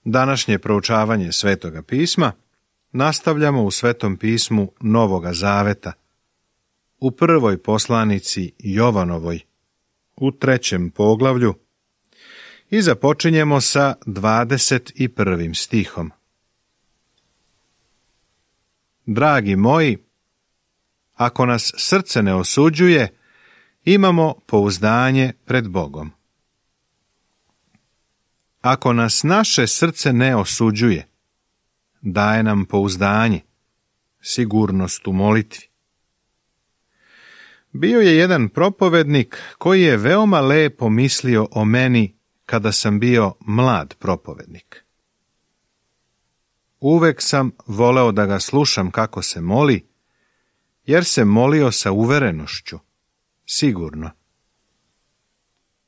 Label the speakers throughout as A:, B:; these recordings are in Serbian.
A: Današnje proučavanje Svetoga pisma nastavljamo u Svetom pismu Novoga Zaveta, u prvoj poslanici Jovanovoj, u 3. poglavlju, i započinjemo sa 21. stihom. Dragi moji, ako nas srce ne osuđuje, imamo pouzdanje pred Bogom. Ako nas naše srce ne osuđuje, daje nam pouzdanje, sigurnost u molitvi. Bio je jedan propovednik koji je veoma lepo mislio o meni kada sam bio mlad propovednik. Uvek sam voleo da ga slušam kako se moli, jer se molio sa uverenošću, sigurno.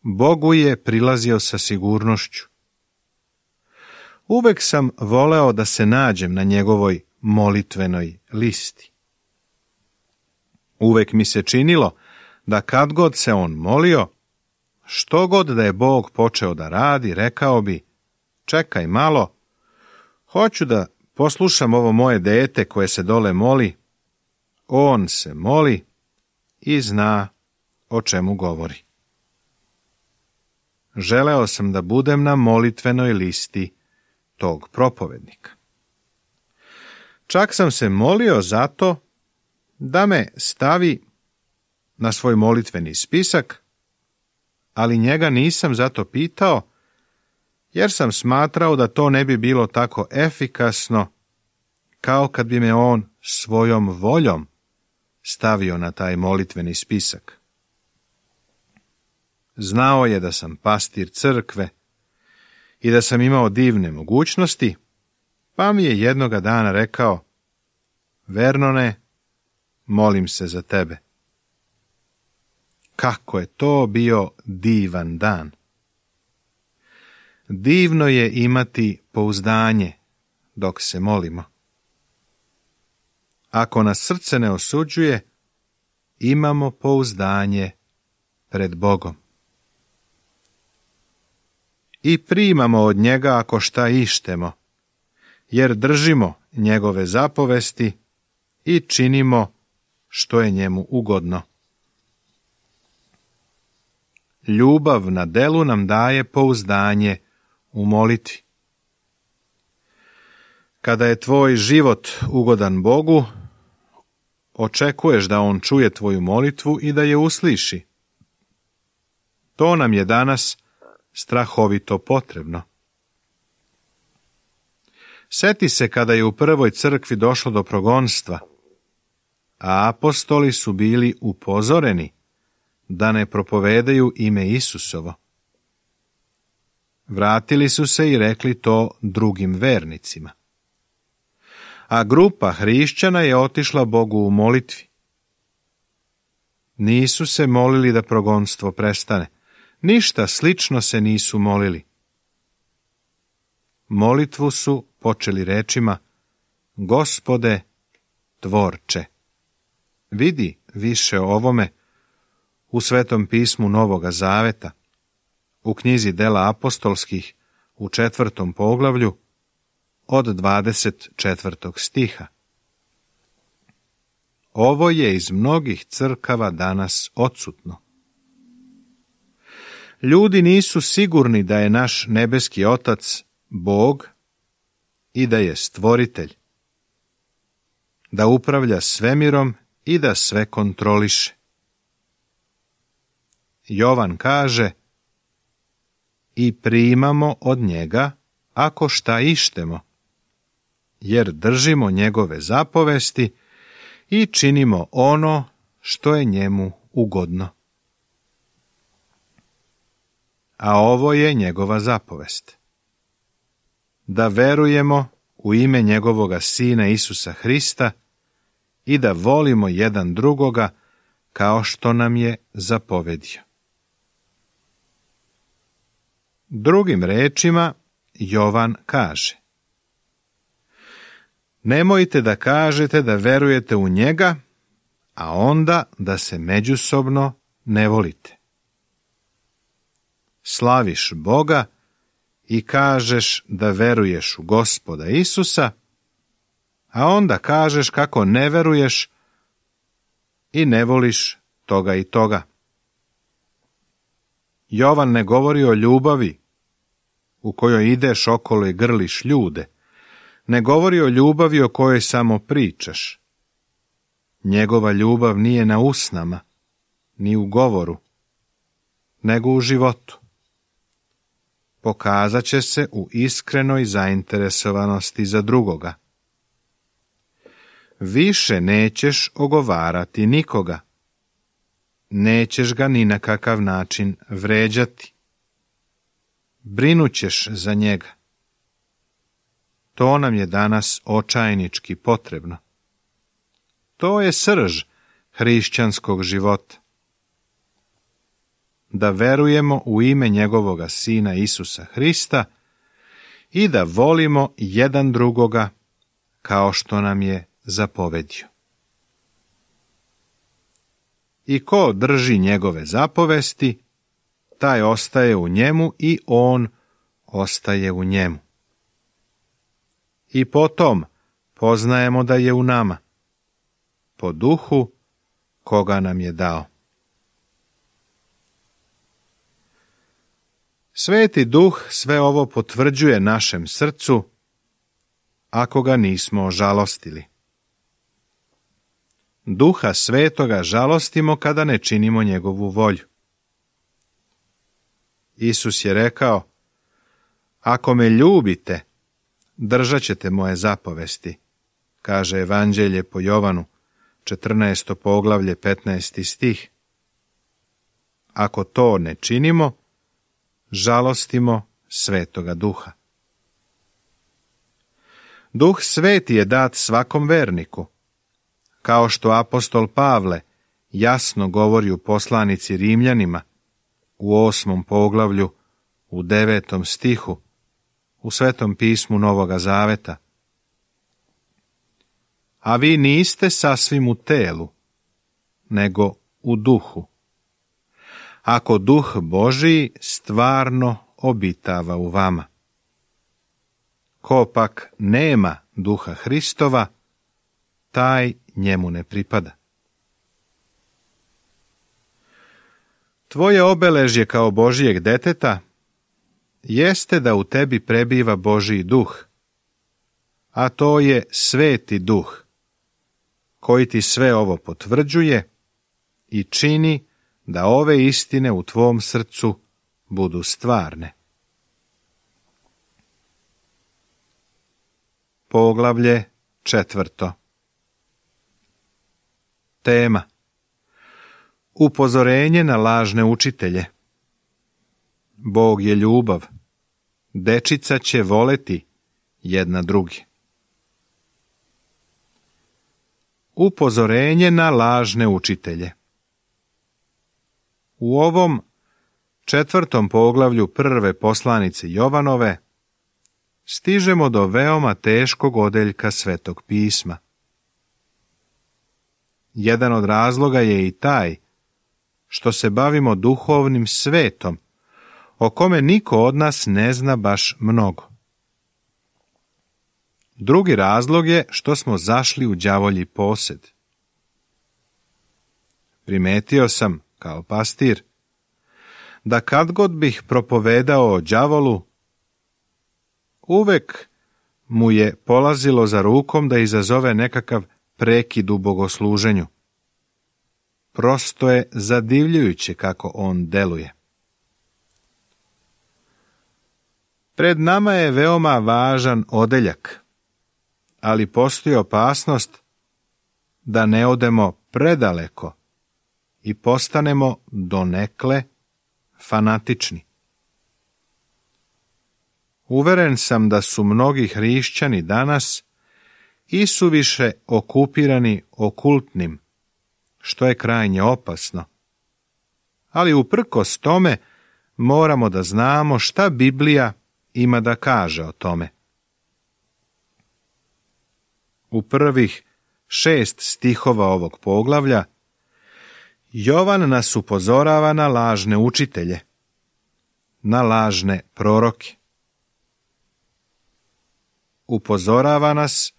A: Bogu je prilazio sa sigurnošću. Uvek sam voleo da se nađem na njegovoj molitvenoj listi. Uvek mi se činilo da kad god se on molio, što god da je Bog počeo da radi, rekao bi: čekaj malo, hoću da poslušam ovo moje dete koje se dole moli. On se moli i zna o čemu govori. Želeo sam da budem na molitvenoj listi tog propovednika. Čak sam se molio zato da me stavi na svoj molitveni spisak, ali njega nisam zato pitao, jer sam smatrao da to ne bi bilo tako efikasno kao kad bi me on svojom voljom stavio na taj molitveni spisak. Znao je da sam pastir crkve i da sam imao divne mogućnosti, pa mi je jednoga dana rekao: Vernone, molim se za tebe. Kako je to bio divan dan! Divno je imati pouzdanje dok se molimo. Ako nas srce ne osuđuje, imamo pouzdanje pred Bogom. I primamo od njega ako šta ištemo, jer držimo njegove zapovesti i činimo što je njemu ugodno. Ljubav na delu nam daje pouzdanje u molitvi. Kada je tvoj život ugodan Bogu, očekuješ da on čuje tvoju molitvu i da je usliši. To nam je danas strahovito potrebno. Seti se kada je u prvoj crkvi došlo do progonstva, a apostoli su bili upozoreni da ne propovedaju ime Isusovo. Vratili su se i rekli to drugim vernicima. A grupa hrišćana je otišla Bogu u molitvi. Nisu se molili da progonstvo prestane. Ništa slično se nisu molili. Molitvu su počeli rečima: Gospode, tvorče. Vidi više o ovome u Svetom pismu Novoga Zaveta, u knjizi Dela apostolskih u 4. poglavlju od 24. stiha. Ovo je iz mnogih crkava danas odsutno. Ljudi nisu sigurni da je naš nebeski Otac Bog i da je stvoritelj, da upravlja svemirom i da sve kontroliše. Jovan kaže: i primamo od njega ako šta ištemo, jer držimo njegove zapovesti i činimo ono što je njemu ugodno. A ovo je njegova zapovest: da verujemo u ime njegovoga Sina Isusa Hrista i da volimo jedan drugoga kao što nam je zapovedio. Drugim rečima, Jovan kaže: nemojte da kažete da verujete u njega, a onda da se međusobno ne volite. Slaviš Boga i kažeš da veruješ u Gospoda Isusa, a onda kažeš kako ne veruješ i ne voliš toga i toga. Jovan ne govori o ljubavi u kojoj ideš okolo i grliš ljude, ne govori o ljubavi o kojoj samo pričaš. Njegova ljubav nije na usnama, ni u govoru, nego u životu. Pokazat će se u iskrenoj zainteresovanosti za drugoga. Više nećeš ogovarati nikoga. Nećeš ga ni na kakav način vređati. Brinućeš za njega. To nam je danas očajnički potrebno. To je srž hrišćanskog života. Da verujemo u ime njegovoga Sina Isusa Hrista i da volimo jedan drugoga kao što nam je zapovedio. I ko drži njegove zapovesti, taj ostaje u njemu i on ostaje u njemu. I potom poznajemo da je u nama, po duhu koga nam je dao. Sveti Duh sve ovo potvrđuje našem srcu, ako ga nismo ožalostili. Duha Svetoga žalostimo kada ne činimo njegovu volju. Isus je rekao, ako me ljubite, držat ćete moje zapovesti, kaže Evanđelje po Jovanu, 14. poglavlje, 15. stih. Ako to ne činimo, žalostimo Svetoga Duha. Duh Sveti je dat svakom verniku, kao što apostol Pavle jasno govori u poslanici Rimljanima, u 8. poglavlju, u 9. stihu, u Svetom pismu Novoga Zaveta. A vi niste sasvim u telu, nego u duhu. Ako Duh Božiji stvarno obitava u vama. Ko pak nema Duha Hristova, taj njemu ne pripada. Tvoje obeležje kao Božijeg deteta jeste da u tebi prebiva Božji duh, a to je Sveti Duh, koji ti sve ovo potvrđuje i čini da ove istine u tvom srcu budu stvarne. Poglavlje 4. Tema: upozorenje na lažne učitelje. Bog je ljubav. Dečica će voleti jedna drugi. Upozorenje na lažne učitelje. U ovom 4. poglavlju prve poslanice Jovanove stižemo do veoma teškog odeljka Svetog pisma. Jedan od razloga je i taj što se bavimo duhovnim svetom, o kome niko od nas ne zna baš mnogo. Drugi razlog je što smo zašli u đavolji posjed. Primetio sam, kao pastir, da kad god bih propovedao o đavolu, uvek mu je polazilo za rukom da izazove nekakav prekid u bogosluženju. Prosto je zadivljujuće kako on deluje. Pred nama je veoma važan odeljak, ali postoji opasnost da ne odemo predaleko i postanemo donekle fanatični. Uveren sam da su mnogi hrišćani danas isuviše okupirani okultnim, što je krajnje opasno. Ali uprkos tome moramo da znamo šta Biblija ima da kaže o tome. U prvih 6 stihova ovog poglavlja Jovan nas upozorava na lažne učitelje, na lažne proroke, upozorava nas,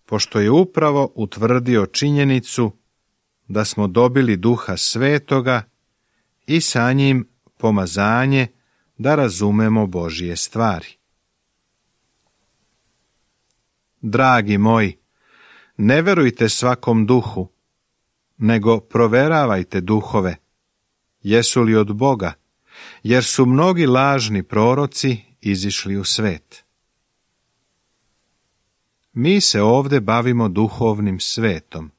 A: pošto je upravo utvrdio činjenicu da smo dobili Duha Svetoga i sa njim pomazanje da razumemo Božje stvari. Dragi moji, ne verujte svakom duhu, nego proveravajte duhove, jesu li od Boga, jer su mnogi lažni proroci izišli u svet. Mi se ovdje bavimo duhovnim svetom,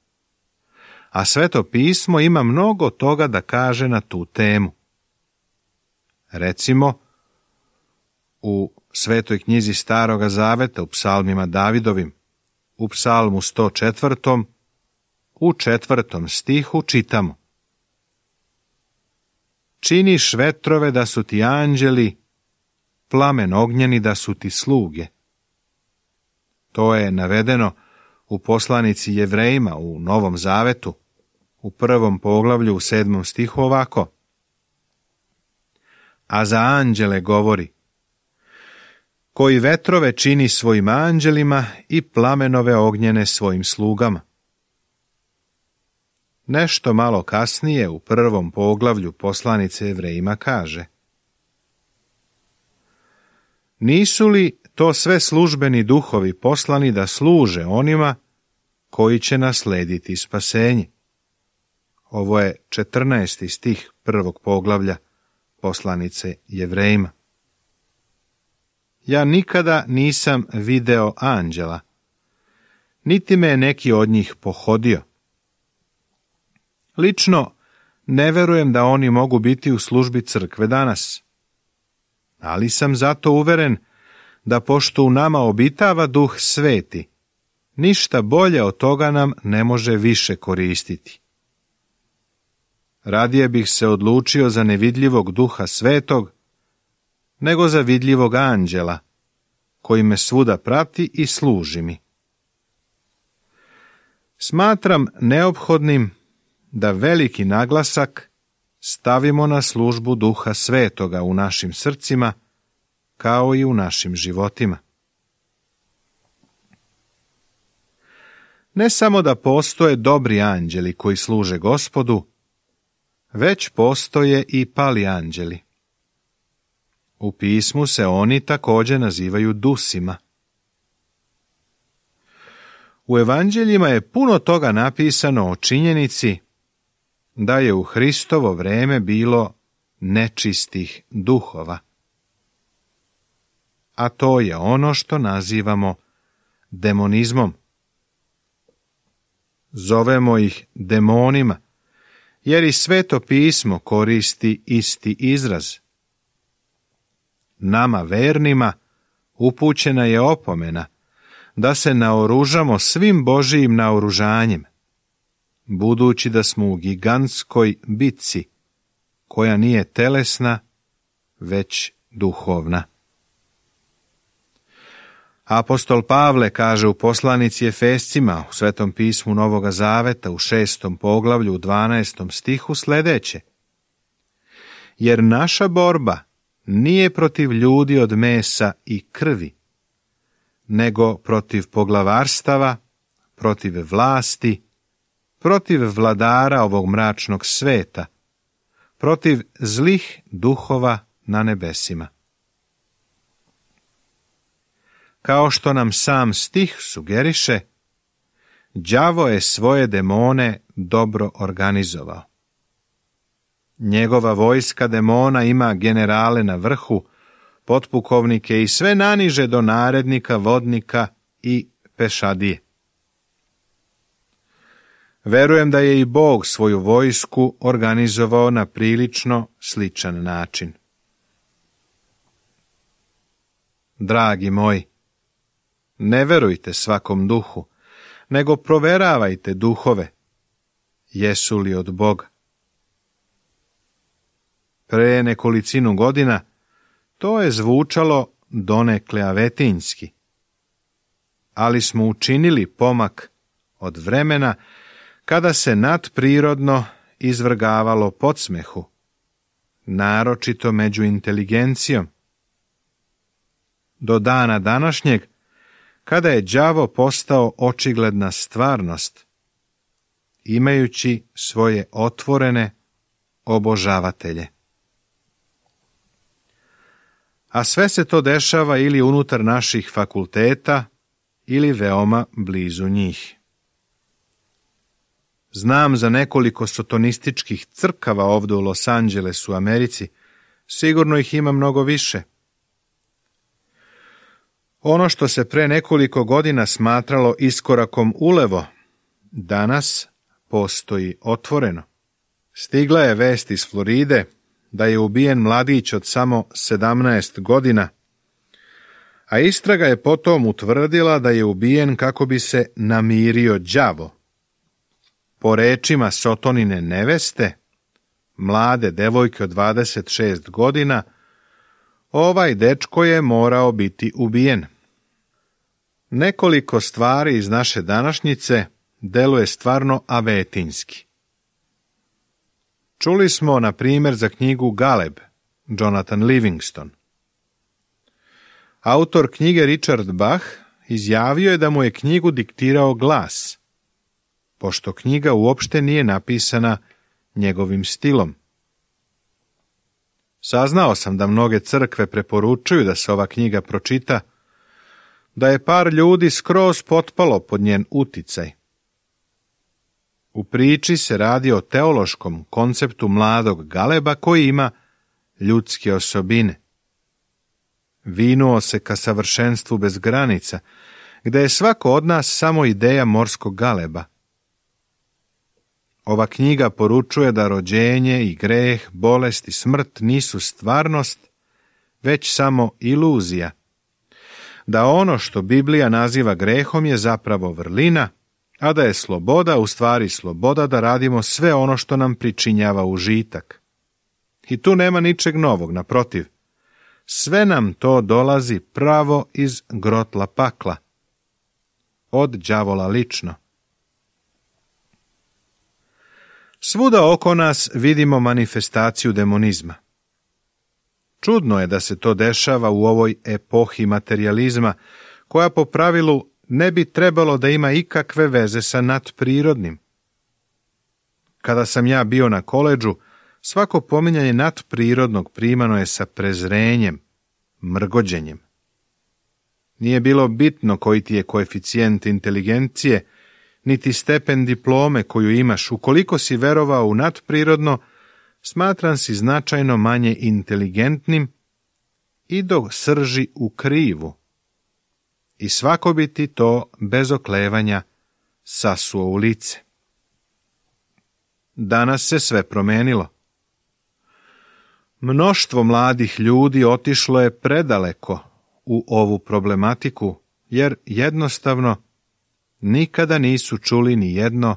A: a Sveto pismo ima mnogo toga da kaže na tu temu. Recimo, u Svetoj knjizi Staroga Zaveta, u psalmima Davidovim, u psalmu 104. u 4. stihu čitamo: Činiš vetrove da su ti anđeli, plamen ognjeni da su ti sluge. To je navedeno u poslanici Jevrejima u Novom Zavetu, u 1. poglavlju u 7. stihu ovako: A za anđele govori: koji vetrove čini svojim anđelima i plamenove ognjene svojim slugama. Nešto malo kasnije u 1. poglavlju poslanice Jevrejima kaže: Nisu li to sve službeni duhovi poslani da služe onima koji će naslediti spasenje? Ovo je 14. stih 1. poglavlja poslanice Jevrejima. Ja nikada nisam video anđela, niti me je neki od njih pohodio. Lično ne verujem da oni mogu biti u službi crkve danas, ali sam zato uveren da pošto u nama obitava Duh Sveti, ništa bolje od toga nam ne može više koristiti. Radije bih se odlučio za nevidljivog Duha Svetog, nego za vidljivog anđela, koji me svuda prati i služi mi. Smatram neophodnim da veliki naglasak stavimo na službu Duha Svetoga u našim srcima, kao i u našim životima. Ne samo da postoje dobri anđeli koji služe Gospodu, već postoje i pali anđeli. U pismu se oni također nazivaju dusima. U evanđeljima je puno toga napisano o činjenici da je u Hristovo vrijeme bilo nečistih duhova. A to je ono što nazivamo demonizmom. Zovemo ih demonima, jer i Sveto pismo koristi isti izraz. Nama vernima upućena je opomena da se naoružamo svim Božijim naoružanjem, budući da smo u gigantskoj bitci, koja nije telesna, već duhovna. Apostol Pavle kaže u poslanici Efescima u Svetom pismu Novoga Zaveta u 6. poglavlju u 12. stihu sljedeće: Jer naša borba nije protiv ljudi od mesa i krvi, nego protiv poglavarstava, protiv vlasti, protiv vladara ovog mračnog sveta, protiv zlih duhova na nebesima. Kao što nam sam stih sugeriše, đavo je svoje demone dobro organizovao. Njegova vojska demona ima generale na vrhu, potpukovnike i sve naniže do narednika, vodnika i pešadije. Verujem da je i Bog svoju vojsku organizovao na prilično sličan način. Dragi moji, ne verujte svakom duhu, nego proveravajte duhove, jesu li od Boga. Pre nekolicinu godina to je zvučalo donekle avetinjski, ali smo učinili pomak od vremena kada se nadprirodno izvrgavalo podsmehu, naročito među inteligencijom. Do dana današnjeg, kada je đavo postao očigledna stvarnost, imajući svoje otvorene obožavatelje. A sve se to dešava ili unutar naših fakulteta ili veoma blizu njih. Znam za nekoliko sotonističkih crkava ovdje u Los Angelesu, u Americi. Sigurno ih ima mnogo više. Ono što se pre nekoliko godina smatralo iskorakom ulevo, danas postoji otvoreno. Stigla je vest iz Floride da je ubijen mladić od samo 17 godina, a istraga je potom utvrdila da je ubijen kako bi se namirio đavo. Po rečima Sotonine neveste, mlade devojke od 26 godina, ovaj dečko je morao biti ubijen. Nekoliko stvari iz naše današnjice deluje stvarno avetinski. Čuli smo, na primjer, za knjigu Galeb, Jonathan Livingston. Autor knjige Richard Bach izjavio je da mu je knjigu diktirao glas, pošto knjiga uopšte nije napisana njegovim stilom. Saznao sam da mnoge crkve preporučuju da se ova knjiga pročita, da je par ljudi skroz potpalo pod njen uticaj. U priči se radi o teološkom konceptu mladog Galeba koji ima ljudske osobine. Vinuo se ka savršenstvu bez granica, gde je svako od nas samo ideja morskog galeba. Ova knjiga poručuje da rođenje i greh, bolest i smrt nisu stvarnost, već samo iluzija. Da ono što Biblija naziva grehom je zapravo vrlina, a da je sloboda u stvari sloboda da radimo sve ono što nam pričinjava užitak. I tu nema ničeg novog, naprotiv. Sve nam to dolazi pravo iz grotla pakla. Od đavola lično. Svuda oko nas vidimo manifestaciju demonizma. Čudno je da se to dešava u ovoj epohi materijalizma, koja po pravilu ne bi trebalo da ima ikakve veze sa nadprirodnim. Kada sam ja bio na koledžu, svako pominjanje nadprirodnog primano je sa prezrenjem, mrgođenjem. Nije bilo bitno koji ti je koeficijent inteligencije, niti stepen diplome koju imaš. Ukoliko si verovao u nadprirodno, smatran si značajno manje inteligentnim i do srži u krivu. I svako bi ti to bez oklevanja sasuo u lice. Danas se sve promenilo. Mnoštvo mladih ljudi otišlo je predaleko u ovu problematiku, jer jednostavno nikada nisu čuli ni jedno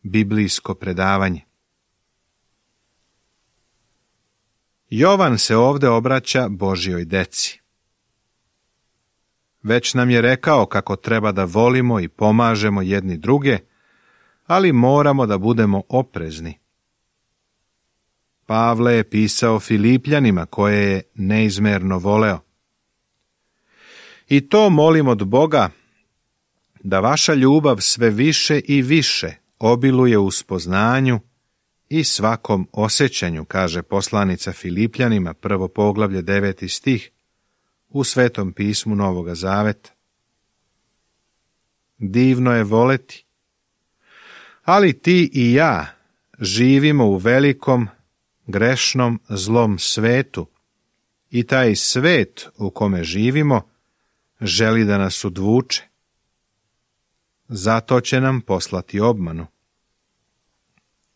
A: biblijsko predavanje. Jovan se ovdje obraća Božjoj deci. Već nam je rekao kako treba da volimo i pomažemo jedni druge, ali moramo da budemo oprezni. Pavle je pisao Filipljanima koje je neizmerno voleo. I to molim od Boga, da vaša ljubav sve više i više obiluje u spoznanju i svakom osjećanju, kaže poslanica Filipljanima, 1. poglavlje 9. stih, u Svetom pismu Novoga Zaveta. Divno je voleti, ali ti i ja živimo u velikom, grešnom, zlom svetu i taj svet u kome živimo želi da nas udvuče. Zato će nam poslati obmanu.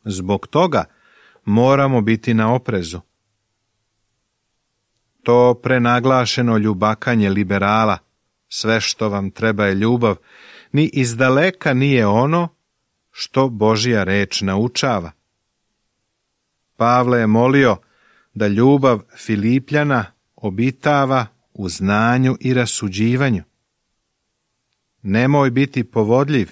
A: Zbog toga moramo biti na oprezu. To prenaglašeno ljubakanje liberala, sve što vam treba je ljubav, ni izdaleka nije ono što Božja reč naučava. Pavle je molio da ljubav Filipljana obitava u znanju i rasuđivanju. Nemoj biti povodljiv.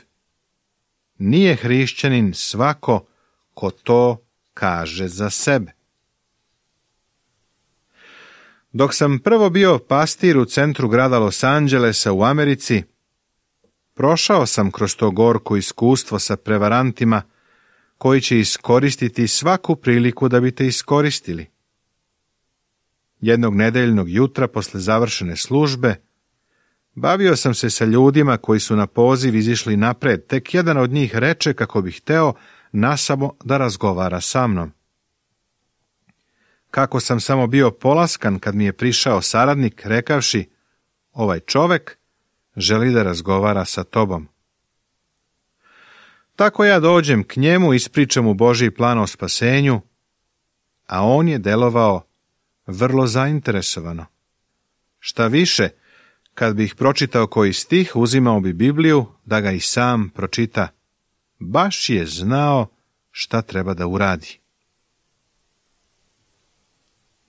A: Nije hrišćanin svako ko to kaže za sebe. Dok sam prvo bio pastir u centru grada Los Angelesa u Americi, Prošao sam kroz to gorko iskustvo sa prevarantima koji će iskoristiti svaku priliku da bi te iskoristili. Jednog nedeljnog jutra posle završene službe bavio sam se sa ljudima koji su na poziv izišli napred, tek jedan od njih reče kako bi hteo nasamo da razgovara sa mnom. Kako sam samo bio polaskan kad mi je prišao saradnik rekavši, ovaj čovek želi da razgovara sa tobom. Tako ja dođem k njemu, ispričam mu Božji plan o spasenju, a on je delovao vrlo zainteresovano. Šta više, kad bih pročitao koji stih, uzimao bi Bibliju da ga i sam pročita. Baš je znao šta treba da uradi.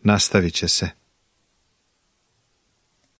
A: Nastavit će se.